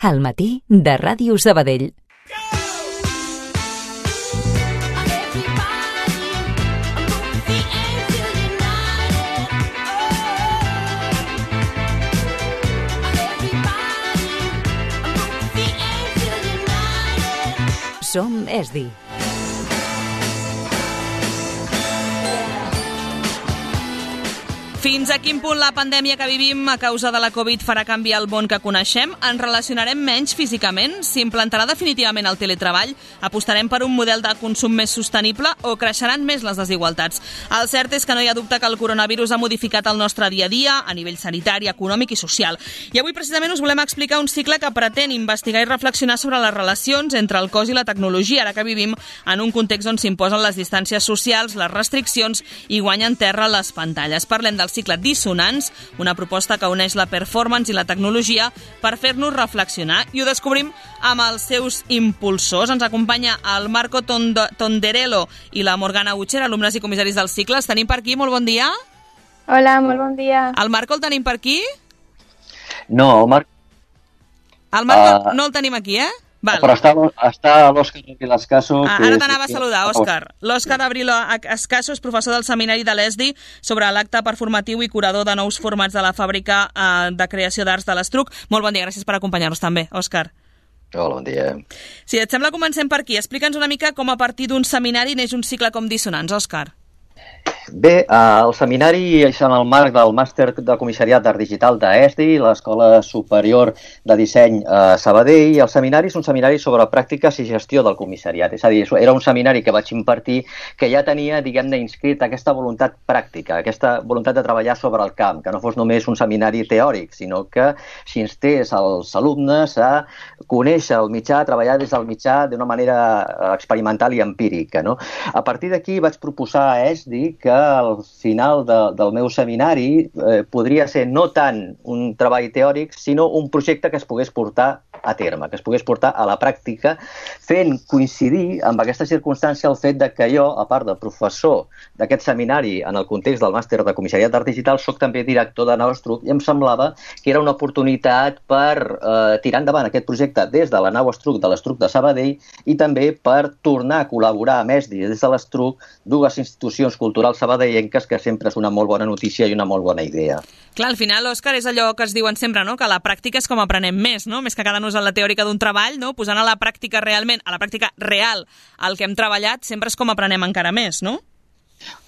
Al matí de Ràdio Sabadell. Som ESDI. Fins a quin punt la pandèmia que vivim a causa de la Covid farà canviar el món que coneixem? Ens relacionarem menys físicament? S'implantarà definitivament el teletreball? Apostarem per un model de consum més sostenible o creixeran més les desigualtats? El cert és que no hi ha dubte que el coronavirus ha modificat el nostre dia a dia a nivell sanitari, econòmic i social. I avui precisament us volem explicar un cicle que pretén investigar i reflexionar sobre les relacions entre el cos i la tecnologia, ara que vivim en un context on s'imposen les distàncies socials, les restriccions i guanyen terra les pantalles. Parlem del cicle Dissonants, una proposta que uneix la performance i la tecnologia per fer-nos reflexionar, i ho descobrim amb els seus impulsors. Ens acompanya el Marco Tonderello i la Morgana Utcher, alumnes i comissaris del cicle. Els tenim per aquí, molt bon dia. Hola, molt bon dia. El Marco el tenim per aquí? No, el Marc... El Marco no el tenim aquí, eh? Val. Però està l'Òscar Abril Escaso. Ara t'anava a saludar, Òscar. L'Òscar Abril Escaso és professor del seminari de l'ESDI sobre l'acte performatiu i curador de nous formats de la fàbrica de creació d'arts de l'Estruc. Molt bon dia, gràcies per acompanyar-nos també, Òscar. Hola, bon dia. Si et sembla, comencem per aquí. Explica'ns una mica com a partir d'un seminari neix un cicle com Dissonants, Òscar. Bé, el seminari és en el marc del màster de comissariat d'art digital d'ESDI, l'Escola Superior de Disseny Sabadell, i el seminari és un seminari sobre pràctiques i gestió del comissariat. És a dir, era un seminari que vaig impartir que ja tenia, diguem-ne, inscrit aquesta voluntat pràctica, aquesta voluntat de treballar sobre el camp, que no fos només un seminari teòric, sinó que s'instés als alumnes a conèixer el mitjà, a treballar des del mitjà d'una manera experimental i empírica, no? A partir d'aquí vaig proposar a ESDI que al final del meu seminari podria ser no tant un treball teòric, sinó un projecte que es pogués portar a terme, que es pogués portar a la pràctica, fent coincidir amb aquesta circumstància el fet de que jo, a part de professor d'aquest seminari en el context del màster de comissariat d'art digital, soc també director de Nau Estruc, i em semblava que era una oportunitat per tirar endavant aquest projecte des de la Nau Estruc de l'Estruc de Sabadell i també per tornar a col·laborar amb ESDI des de l'Estruc, dues institucions culturals sabadellenques, que sempre és una molt bona notícia i una molt bona idea. Clar, al final, Òscar, és allò que es diuen sempre, no? Que la pràctica és com aprenem més, no? Més que quedar-nos en la teòrica d'un treball, no? Posant a la pràctica realment, a la pràctica real, el que hem treballat, sempre és com aprenem encara més, no?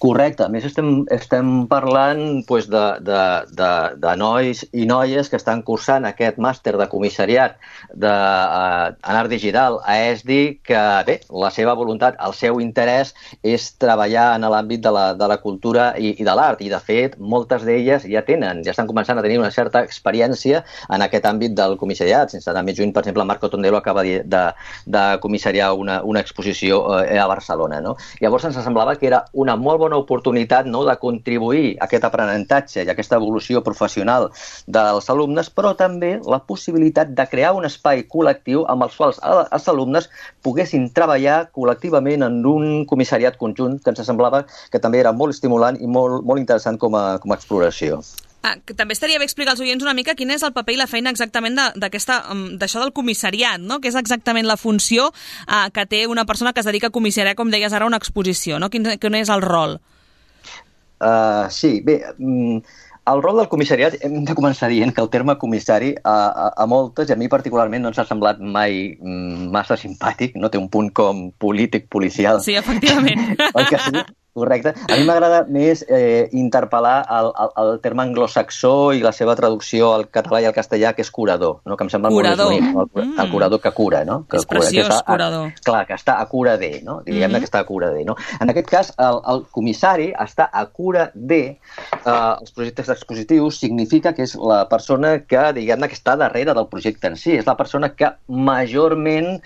Correcte. A més, estem parlant doncs, de nois i noies que estan cursant aquest màster de comissariat en art digital a ESDI, que bé, la seva voluntat, el seu interès és treballar en l'àmbit de la cultura i de l'art, i de fet moltes d'elles ja estan començant a tenir una certa experiència en aquest àmbit del comissariat. Sense anar més juny, per exemple, Marco Tonderello acaba de comissariar una exposició a Barcelona, no? Llavors ens semblava que era una molt bona oportunitat, no?, de contribuir a aquest aprenentatge i a aquesta evolució professional dels alumnes, però també la possibilitat de crear un espai col·lectiu amb els quals els alumnes poguessin treballar col·lectivament en un comissariat conjunt, que ens semblava que també era molt estimulant i molt interessant com a exploració. També estaria bé explicar als oients una mica quin és el paper i la feina exactament d'això del comissariat, no? Que és exactament la funció que té una persona que es dedica a comissariar, com deies ara, una exposició, no? Quin és el rol? Sí, bé, el rol del comissariat, hem de començar dient que el terme comissari a moltes, i a mi particularment, no ens ha semblat mai massa simpàtic, no? Té un punt com polític, policial. Sí, efectivament. Oi que sí? Correcte. A mi m'agrada més interpel·lar el terme anglosaxó i la seva traducció al català i al castellà, que és curador, no? Que em sembla molt més bonic. El curador que cura, no? És preciós, curador. Clar, que està a cura de, no? Diguem-ne que està a cura de, no? En aquest cas, el comissari està a cura de els projectes expositius, significa que és la persona que, diguem-ne, que està darrere del projecte en si. És la persona que majorment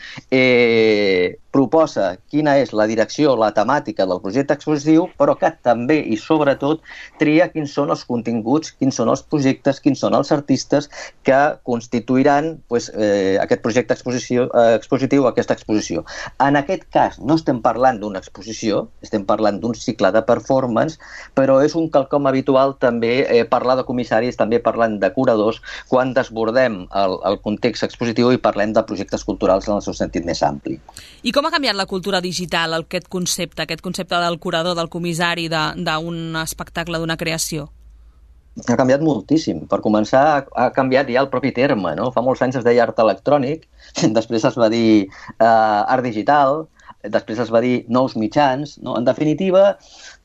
proposa quina és la direcció, la temàtica del projecte expositiu, expositiu, però que també i sobretot tria quins són els continguts, quins són els projectes, quins són els artistes que constituiran aquest projecte expositiu, aquesta exposició. En aquest cas no estem parlant d'una exposició, estem parlant d'un cicle de performance, però és un quelcom habitual també parlar de comissaris, també parlant de curadors, quan desbordem el context expositiu i parlem de projectes culturals en el seu sentit més ampli. I com ha canviat la cultura digital, aquest concepte del curador, del comissari, d'un espectacle, d'una creació? Ha canviat moltíssim. Per començar, ha canviat ja el propi terme, no? Fa molts anys es deia art electrònic, després es va dir art digital, després es va dir nous mitjans, no? En definitiva,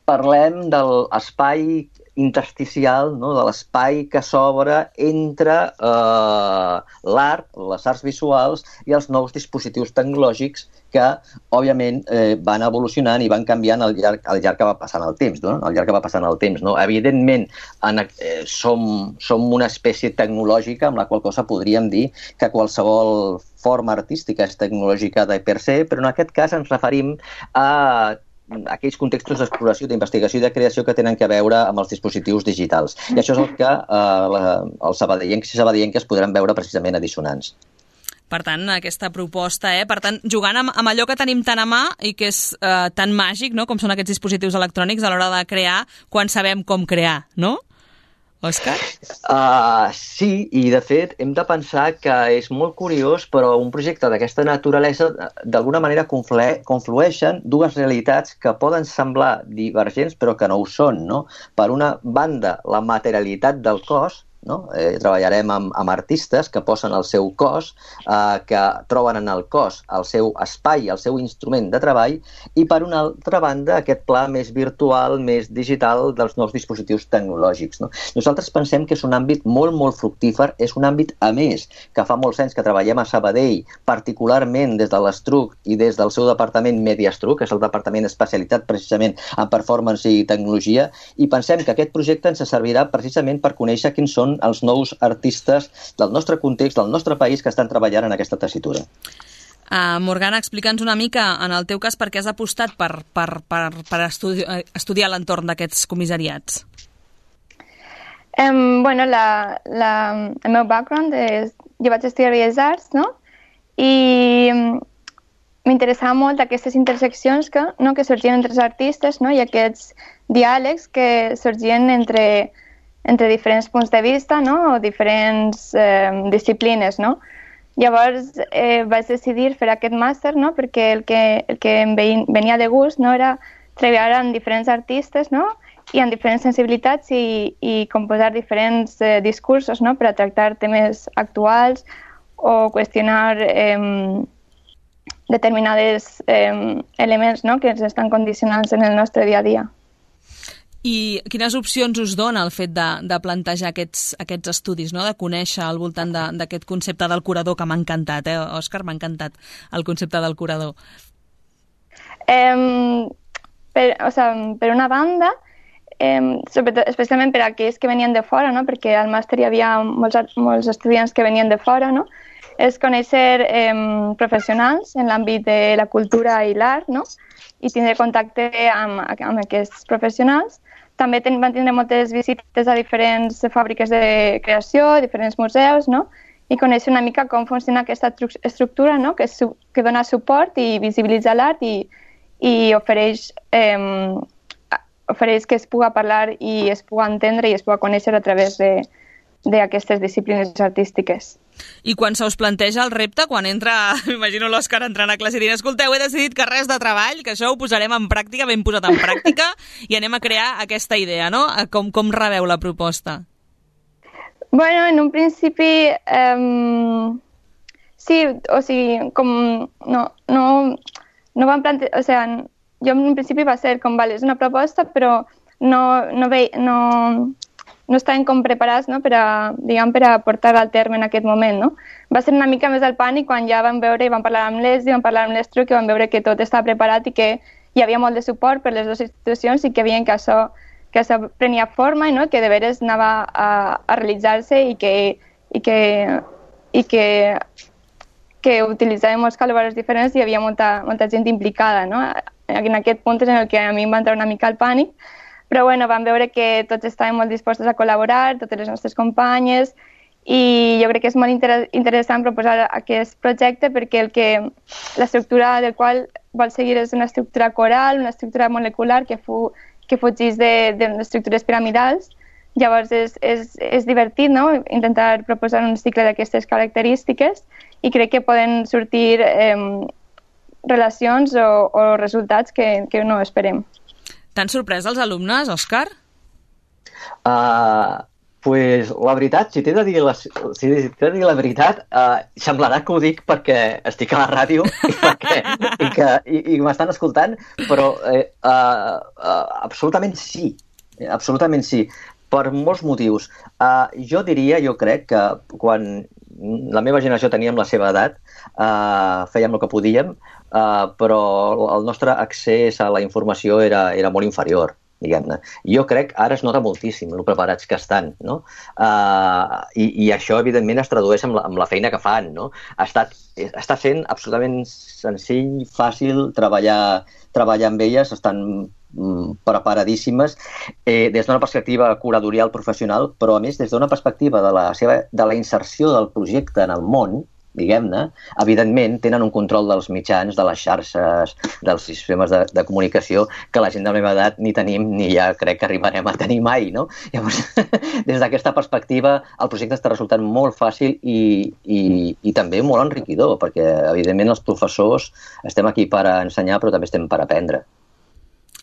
parlem de l'espai intersticial, no? De l'espai que s'obre entre l'art, les arts visuals i els nous dispositius tecnològics que, òbviament, van evolucionant i van canviant al llarg que va passant el temps. No? Al llarg que va passant el temps. No? Evidentment, som una espècie tecnològica amb la qual cosa podríem dir que qualsevol forma artística és tecnològica de per se, però en aquest cas ens referim a aquells contextos d'exploració, d'investigació i de creació que tenen a veure amb els dispositius digitals. I això és el que els sabadellencs i sabadellenques podran veure precisament a Dissonants. Per tant, aquesta proposta, per tant, jugant amb allò que tenim tan a mà i que és tan màgic, no?, com són aquests dispositius electrònics a l'hora de crear quan sabem com crear, no? Òscar? Sí, i de fet hem de pensar que és molt curiós, però un projecte d'aquesta naturalesa d'alguna manera conflueixen dues realitats que poden semblar divergents però que no ho són, no? Per una banda, la materialitat del cos, no? Treballarem amb artistes que posen el seu cos, que troben en el cos el seu espai, el seu instrument de treball, i per una altra banda aquest pla més virtual, més digital dels nous dispositius tecnològics. No? Nosaltres pensem que és un àmbit molt, molt fructífer, és un àmbit, a més, que fa molts anys que treballem a Sabadell, particularment des de l'Estruc i des del seu departament Mediastruc, que és el departament especialitzat precisament en performance i tecnologia, i pensem que aquest projecte ens servirà precisament per conèixer quins són els nous artistes del nostre context, del nostre país, que estan treballant en aquesta tessitura. Morgana, explica'ns una mica, en el teu cas, per què has apostat per estudiar l'entorn d'aquests comissariats? Bueno, el meu background és... Jo vaig estudiar Belles Arts, no? I m'interessava molt aquestes interseccions que sorgien entre els artistes, no? I aquests diàlegs que sorgien entre diferents punts de vista, no? O diferents disciplines, no? Llavors vaig decidir fer aquest màster, no? Perquè el que em venia de gust, no? Era treballar amb diferents artistes, no? I amb diferents sensibilitats i composar diferents discursos, no? Per a tractar temes actuals o qüestionar determinats elements, no? Que ens estan condicionants en el nostre dia a dia. I quines opcions us dona el fet de plantejar aquests estudis, no? De conèixer al voltant d'aquest concepte del curador, que m'ha encantat, Òscar? M'ha encantat el concepte del curador. Per una banda, sobretot, especialment per a aquells que venien de fora, no? Perquè al màster hi havia molts estudiants que venien de fora, no? És conèixer professionals en l'àmbit de la cultura i l'art, no? I tindre contacte amb aquests professionals. També van tindre moltes visites a diferents fàbriques de creació, diferents museus, no? I conèixer una mica com funciona aquesta estructura, no? Que dona suport i visibilitza l'art i ofereix que es puga parlar i es puga entendre i es puga conèixer a través d'aquestes disciplines artístiques. I quan se us planteja el repte, quan m'imagino l'Òscar entrant a classe i dient, escolteu, he decidit que res de treball, que això ho posarem en pràctica, ben posat en pràctica, i anem a crear aquesta idea, no? Com rebeu la proposta? Bueno, en un principi, sí, o sigui, com no van plantejar, o sigui, jo en un principi va ser com, vale, és una proposta, però no estaven com preparats, no? per a portar al terme en aquest moment. No? Va ser una mica més el pànic quan ja vam veure i vam parlar amb l'Esdi, vam parlar amb l'Estruc i vam veure que tot estava preparat i que hi havia molt de suport per les dues institucions i que veien que això prenia forma i no? Que de veres anava a realitzar-se i que utilitzàvem molts col·laboradors diferents i hi havia molta gent implicada, no? en aquest punt és en el que a mi em va entrar una mica el pànic, però bueno, vam veure que tots estàvem molt dispostos a col·laborar, totes les nostres companyes, i jo crec que és molt interessant proposar aquest projecte perquè l'estructura del qual vol seguir és una estructura coral, una estructura molecular que fugís de les estructures piramidals. Llavors és divertit, no?, intentar proposar un cicle d'aquestes característiques i crec que poden sortir relacions o resultats que no esperem. T'han sorprès els alumnes, Òscar? Pues la veritat, si t'he de dir la veritat, semblarà que ho dic perquè estic a la ràdio i m'estan escoltant, però absolutament sí, per molts motius. Jo crec que quan la meva generació teníem la seva edat, fèiem el que podíem, però el nostre accés a la informació era molt inferior, diguem-ne. Jo crec ara es nota moltíssim el preparats que estan, no? I això, evidentment, es tradueix amb la feina que fan, no? Està sent absolutament senzill, fàcil treballar amb elles, estan preparadíssimes des d'una perspectiva curatorial professional, però a més des d'una perspectiva de la inserció del projecte en el món, diguem-ne, evidentment tenen un control dels mitjans, de les xarxes, dels sistemes de comunicació que la gent de la meva edat ni tenim ni ja crec que arribarem a tenir mai, no? Llavors, des d'aquesta perspectiva, el projecte està resultant molt fàcil i també molt enriquidor, perquè evidentment els professors estem aquí per ensenyar però també estem per aprendre.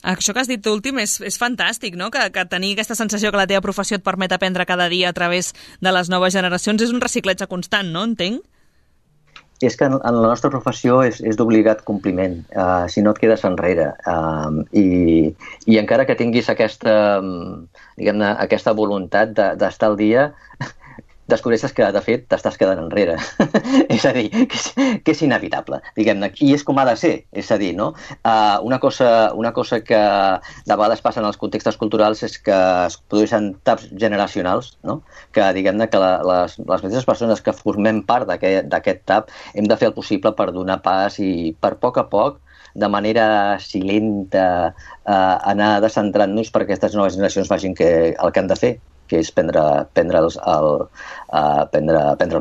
Això que has dit últim és fantàstic, no? Que tenir aquesta sensació que la teva professió et permet aprendre cada dia a través de les noves generacions és un reciclatge constant, no? Entenc? És que en la nostra professió és d'obligat compliment, si no et quedes enrere. I encara que tinguis aquesta voluntat d'estar al dia, descobreixes que, de fet, t'estàs quedant enrere. És a dir, que és inevitable, diguem-ne. I és com ha de ser, és a dir, no? Una cosa que de vegades passa en els contextos culturals és que es produeixen taps generacionals, no? Que, diguem-ne, que les mateixes persones que formem part d'aquest tap hem de fer el possible per donar pas i per poc a poc, de manera silenta, anar descentrant-nos perquè aquestes noves generacions facin el que han de fer, que és prendre el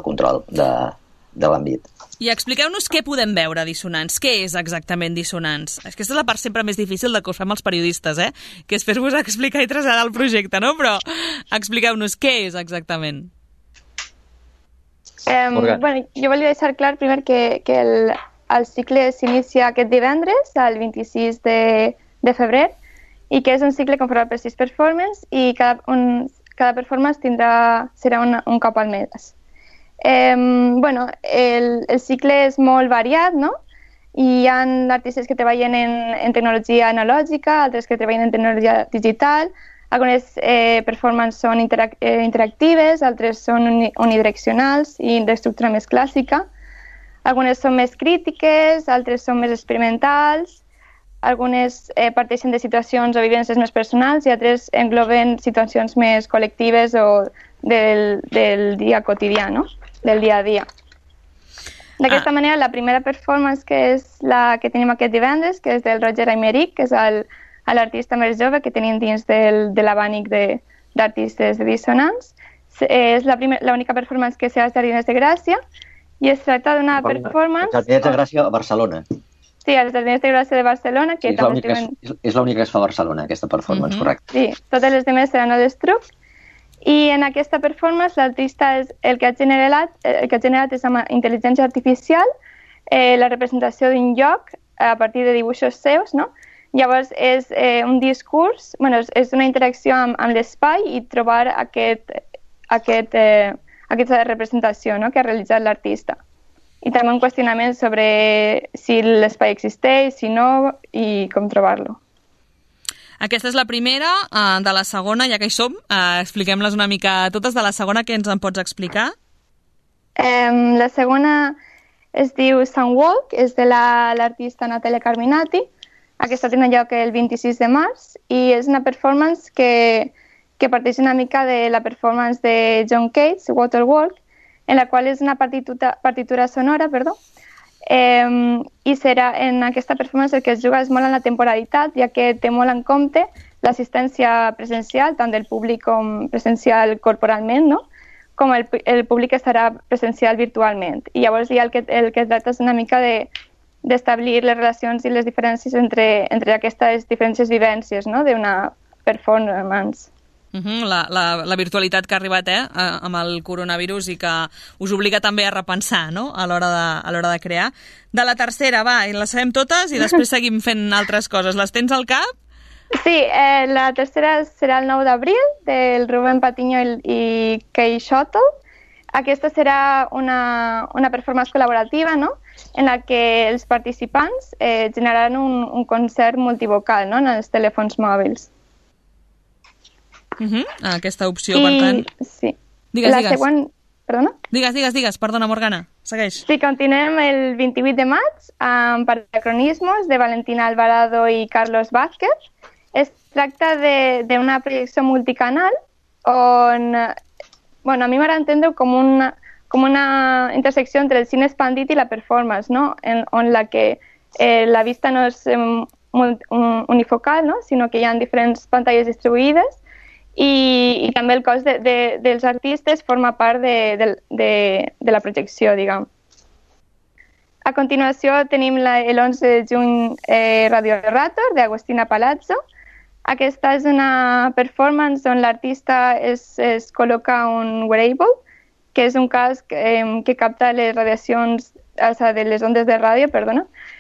control de l'àmbit. I expliqueu-nos què podem veure a Dissonants. Què és exactament Dissonants? Aquesta és la part sempre més difícil de que us fem els periodistes, que és fer-vos explicar i traslladar el projecte, no? Però expliqueu-nos què és exactament. Bueno, jo volia deixar clar primer que el cicle s'inicia aquest divendres, el 26 de febrer, i que és un cicle conformat per 6 performances i cada performance serà un cop al mes. Bueno, el cicle és molt variat, no? I hi ha artistes que treballen en tecnologia analògica, altres que treballen en tecnologia digital, algunes performances són interactives, altres són unidireccionals i d'estructura més clàssica, algunes són més crítiques, altres són més experimentals, algunes parteixen de situacions o vivències més personals i altres engloben situacions més col·lectives o del dia quotidià, no? Del dia a dia. D'aquesta manera, la primera performance, que és la que tenim aquest divendres, que és del Roger Aymeric, que és l'artista més jove que tenim dins de l'abanic d'artistes de Dissonants. És l'única performance que serà als Jardins de Gràcia i es tracta d'una performance... Els Jardins de Gràcia a Barcelona. Sí, als Jardins de Gràcia de Barcelona. Que és l'única que es fa a Barcelona, aquesta performance, correcte. Sí, totes les demés seran a l'Estruc. I en aquesta performance l'artista el que ha generat és amb intel·ligència artificial la representació d'un lloc a partir de dibuixos seus, no? Llavors és un discurs, bueno, és una interacció amb l'espai i trobar aquesta representació, no?, que ha realitzat l'artista. I també un qüestionament sobre si l'espai existeix, si no, i com trobar-lo. Aquesta és la primera. De la segona, ja que hi som, expliquem-les una mica totes. De la segona, què ens en pots explicar? La segona es diu Sunwalk, és de l'artista Natalia Carminati. Aquesta té lloc el 26 de març i és una performance que parteix una mica de la performance de John Cage, Waterwalk, en la qual és una partitura sonora, I serà en aquesta performance el que es juga és molt en la temporalitat, ja que té molt en compte l'assistència presencial, tant del públic com presencial corporalment, no? Com el públic estarà presencial virtualment. I llavors ja el que tracta és una mica d'establir les relacions i les diferències entre aquestes diferents vivències, no? D'una performance. La virtualitat que ha arribat amb el coronavirus i que us obliga també a repensar, no? A l'hora de crear. De la tercera, va, i les sabem totes i després seguim fent altres coses. Les tens al cap? Sí, la tercera serà el 9 d'abril, del Rubén Patiño i Kay Shuttle. Aquesta serà una performance col·laborativa, no? En la que els participants generaran un concert multivocal, no? En els telèfons mòbils. Aquesta opció, per tant... Sí. Digues. Següent... Perdona? Digues, perdona, Morgana, segueix. Sí, continuem el 28 de maig amb Paracronismos de Valentina Alvarado i Carlos Vázquez. Es tracta d'una projecció multicanal on, bueno, a mi m'agrada entendre com una intersecció entre el cine expandit i la performance, no? On la vista no és unifocal, no? Sinó que hi ha diferents pantalles distribuïdes i també el cos dels artistes forma part de la projecció, diguem. A continuació tenim el 11 de juny Radio Errator, d'Agustina Palazzo. Aquesta és una performance on l'artista es col·loca un wearable, que és un casc que capta les radiacions, de les ondes de ràdio,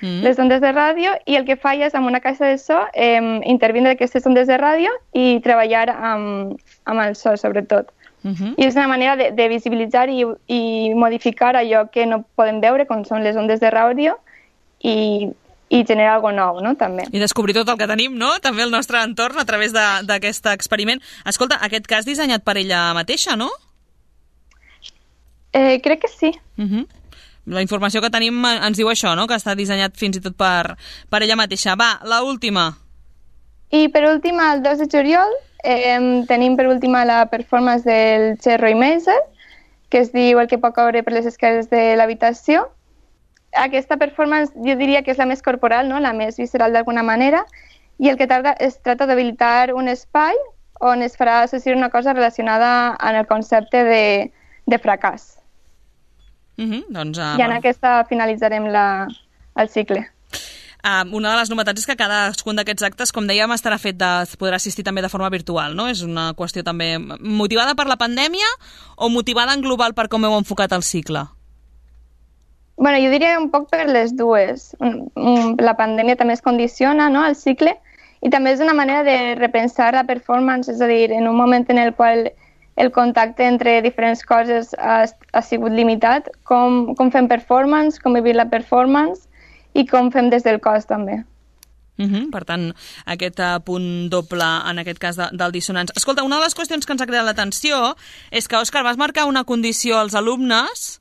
les ondes de ràdio, i el que fa és, amb una caixa de so, intervindre aquestes ondes de ràdio i treballar amb el so, sobretot. I és una manera de visibilitzar i modificar allò que no podem veure, com són les ondes de ràdio, i generar alguna cosa nou, no? També. I descobrir tot el que tenim, no? També el nostre entorn a través d'aquest experiment. Escolta, aquest cas dissenyat per ella mateixa, no? Crec que sí. La informació que tenim ens diu això, no? Que està dissenyat fins i tot per ella mateixa. Va, l'última. I per últim, el 2 de juliol, tenim per última la performance del Che Roy Maser, que es diu El que pot caure per les escales de l'habitació. Aquesta performance jo diria que és la més corporal, no? La més visceral d'alguna manera, i el que es tracta d'habilitar un espai on es farà associar una cosa relacionada amb el concepte de fracàs. Doncs, I en aquesta finalitzarem el cicle. Una de les novetats és que cadascun d'aquests actes, com dèiem, podrà assistir també de forma virtual, no? És una qüestió també motivada per la pandèmia o motivada en global per com heu enfocat el cicle? Bueno, jo diria un poc per les dues. La pandèmia també es condiciona, no?, el cicle, i també és una manera de repensar la performance, és a dir, en un moment en el qual el contacte entre diferents coses ha sigut limitat, com fem performance, com vivim la performance i com fem des del cos també. Per tant, aquest punt doble, en aquest cas del dissonants. Escolta, una de les qüestions que ens ha cridat l'atenció és que, Òscar, vas marcar una condició als alumnes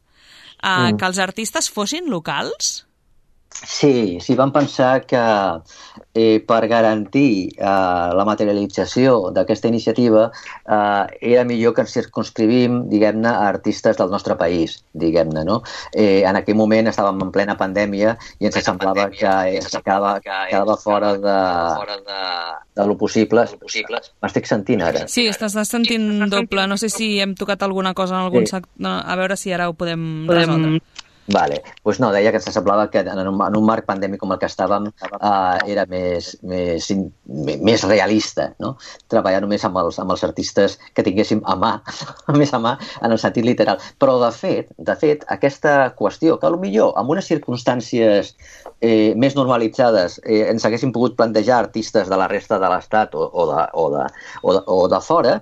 que els artistes fossin locals? Sí, vam pensar que per garantir la materialització d'aquesta iniciativa era millor que ens circumscrivim, diguem-ne, a artistes del nostre país, diguem-ne, no? En aquell moment estàvem en plena pandèmia i ens semblava que quedava fora de lo possible. M'estic sentint ara? Sí, estàs sentint doble. No sé si hem tocat alguna cosa en algun sector. A veure si ara ho podem resoldre. Vale. Pues no, deia que ens semblava que en un marc pandèmic com el que estàvem era més realista, no? Treballar només amb els artistes que tinguéssim més a mà en el sentit literal. Però, de fet, aquesta qüestió, que potser en unes circumstàncies més normalitzades ens haguéssim pogut plantejar artistes de la resta de l'Estat o de fora,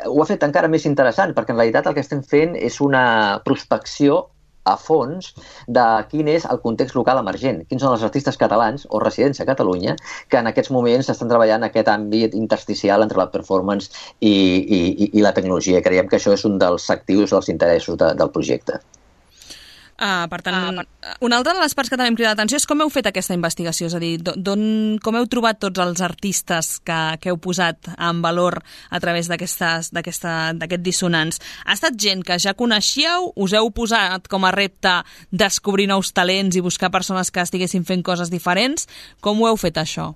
ho ha fet encara més interessant, perquè en realitat el que estem fent és una prospecció a fons de quin és el context local emergent, quins són els artistes catalans o residents a Catalunya que en aquests moments estan treballant en aquest àmbit intersticial entre la performance i la tecnologia. Creiem que això és un dels actius dels interessos del projecte. Per tant, una altra de les parts que també em crida l'atenció és com heu fet aquesta investigació, és a dir, com heu trobat tots els artistes que heu posat en valor a través d'aquest Dissonants. Ha estat gent que ja coneixíeu? Us heu posat com a repte descobrir nous talents i buscar persones que estiguessin fent coses diferents? Com ho heu fet, això?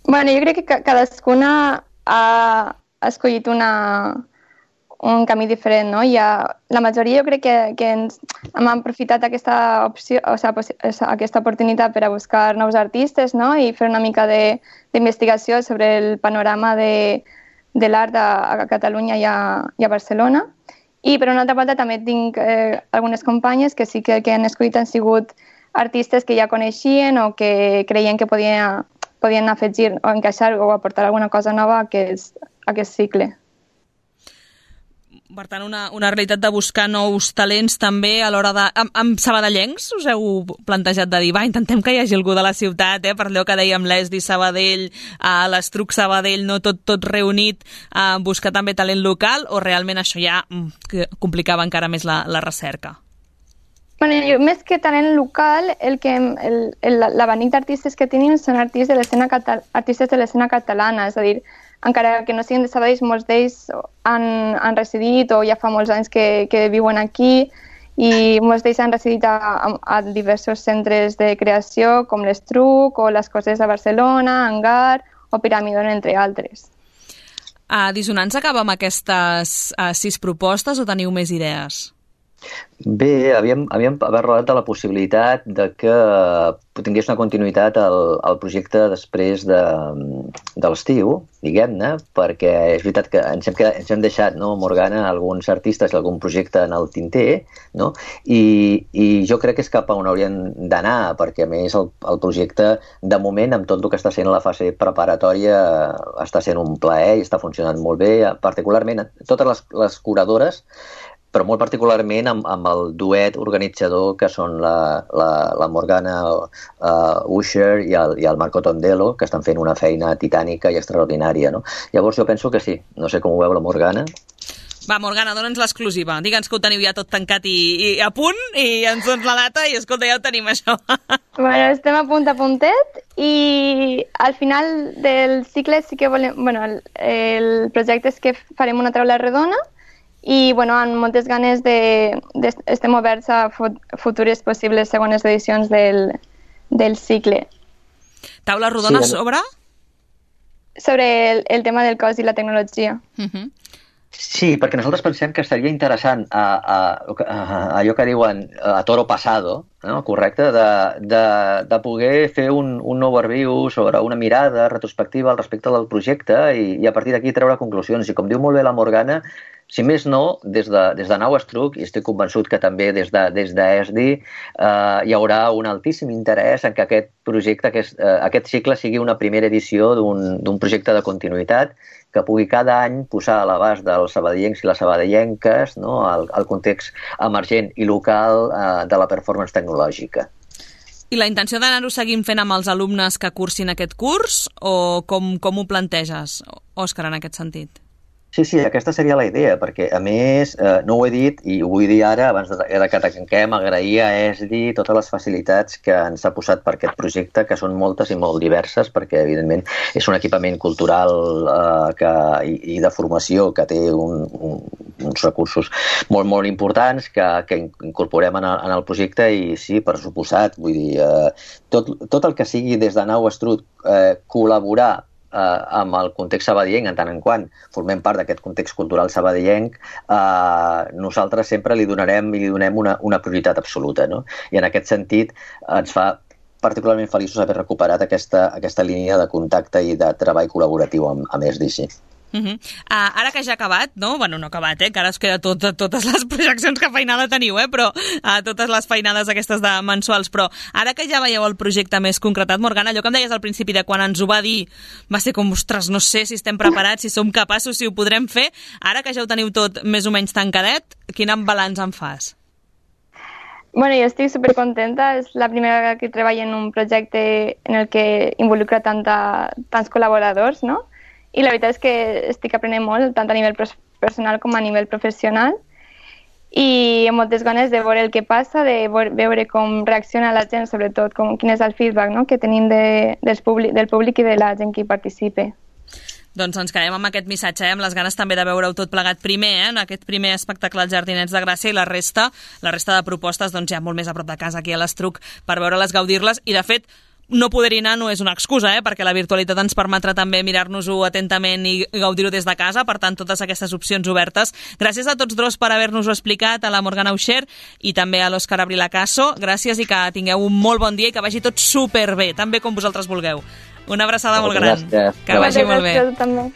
Bueno, jo crec que cadascuna ha escollit un camí diferent, no? La majoria jo crec que hem aprofitat aquesta opció, aquesta oportunitat per a buscar nous artistes, no? I fer una mica d'investigació sobre el panorama de l'art a Catalunya i a Barcelona. I per una altra banda també tinc algunes companyes que sí que han escollit han sigut artistes que ja coneixien o que creien que podien afegir o encaixar o aportar alguna cosa nova a aquest cicle. Per tant, una realitat de buscar nous talents també a l'hora de... Amb sabadellencs us heu plantejat de dir, intentem que hi hagi algú de la ciutat, per allò que dèiem l'ESDI Sabadell, l'Estruc Sabadell, no tot reunit, buscar també talent local, o realment això ja complicava encara més la recerca? Bueno, més que talent local, l'abanic d'artistes que tenim són artistes de l'escena catalana, és a dir, encara que no siguin de Sabadell, molts d'ells han residit o ja fa molts anys que viuen aquí i molts d'ells han residit a diversos centres de creació com l'Estruc o les Coses de Barcelona, Hangar o Piramidon, entre altres. A Dissonants acaba amb aquestes 6 propostes o teniu més idees? Bé, havíem parlat de la possibilitat de que tingués una continuïtat al projecte després de l'estiu, diguem-ne, perquè és veritat que ens hem deixat, no, Morgana, alguns artistes i algun projecte en el tinter, no? I jo crec que és cap a on hauríem d'anar, perquè a més el projecte, de moment, amb tot el que està sent la fase preparatòria, està sent un plaer i està funcionant molt bé, particularment totes les curadores, però molt particularment amb el duet organitzador que són la Morgana Usher i el Marco Tondelo, que estan fent una feina titànica i extraordinària, no? Llavors jo penso que sí, no sé com ho veu la Morgana. Va, Morgana, dona'ns l'exclusiva. Digue'ns que ho teniu ja tot tancat i a punt, i ens dones la data i, escolta, ja ho tenim, això. Bueno, estem a puntet i al final del cicle sí que volem... Bueno, el projecte és que farem una taula redona i, bueno, amb moltes ganes estem oberts a futures possibles segones edicions del cicle. Taula rodona sobre? Sobre el tema del cos i la tecnologia. Sí, perquè nosaltres pensem que seria interessant allò que diuen a toro pasado, no? Correcte, de poder fer un overview sobre una mirada retrospectiva al respecte del projecte i a partir d'aquí treure conclusions. I com diu molt bé la Morgana, si més no, des de Nau Estruc, i estic convençut que també des d'ESDI, hi haurà un altíssim interès en que aquest projecte, aquest cicle sigui una primera edició d'un projecte de continuïtat que pugui cada any posar a l'abast dels sabadellencs i les sabadellenques, no, el context emergent i local de la performance tecnològica. I la intenció d'anar-ho seguint fent amb els alumnes que cursin aquest curs o com ho planteges, Òscar, en aquest sentit? Sí, aquesta seria la idea, perquè a més, no ho he dit i ho vull dir ara, abans que tanquem, agrair a ESDI totes les facilitats que ens ha posat per aquest projecte, que són moltes i molt diverses, perquè evidentment és un equipament cultural i de formació que té uns recursos molt, molt importants que incorporem en el projecte i sí, per suposat, vull dir, tot el que sigui des de Nau Estruc col·laborar amb el context sabadellenc, en tant en quant formem part d'aquest context cultural sabadellenc, nosaltres sempre li donem una prioritat absoluta, no? I en aquest sentit ens fa particularment feliços haver recuperat aquesta línia de contacte i de treball col·laboratiu amb ESDI. Ara que ja ha acabat, no? Bueno, no ha acabat, que ara us queda totes les projeccions que feinada teniu, però totes les feinades aquestes de mensuals, però ara que ja veieu el projecte més concretat, Morgana, allò que em deies al principi de quan ens ho va dir, va ser com, ostres, no sé si estem preparats, si som capaços, si ho podrem fer. Ara que ja ho teniu tot més o menys tancadet, quin balanç en fas? Bueno, jo estic supercontenta, és la primera vegada que treballo en un projecte en el que involucra tants col·laboradors, no? I la veritat és que estic aprenent molt, tant a nivell personal com a nivell professional. i amb moltes ganes de veure el que passa, de veure com reacciona la gent, sobretot quin és el feedback, no?, que tenim del públic i de la gent que hi participa. Doncs ens quedem amb aquest missatge, amb les ganes també de veure-ho tot plegat primer, en aquest primer espectacle als Jardinets de Gràcia, i la resta de propostes doncs ja molt més a prop de casa, aquí a l'Estruc, per veure-les, gaudir-les, i de fet no poder-hi anar no és una excusa, perquè la virtualitat ens permetrà també mirar-nos-ho atentament i gaudir-ho des de casa, per tant, totes aquestes opcions obertes. Gràcies a tots dos per haver-nos-ho explicat, a la Morgana Uixer i també a l'Òscar Abrilacaso. Gràcies i que tingueu un molt bon dia i que vagi tot superbé, tan bé com vosaltres vulgueu. Una abraçada molt gran. Gràcies. Que vagi molt bé. Gràcies, també.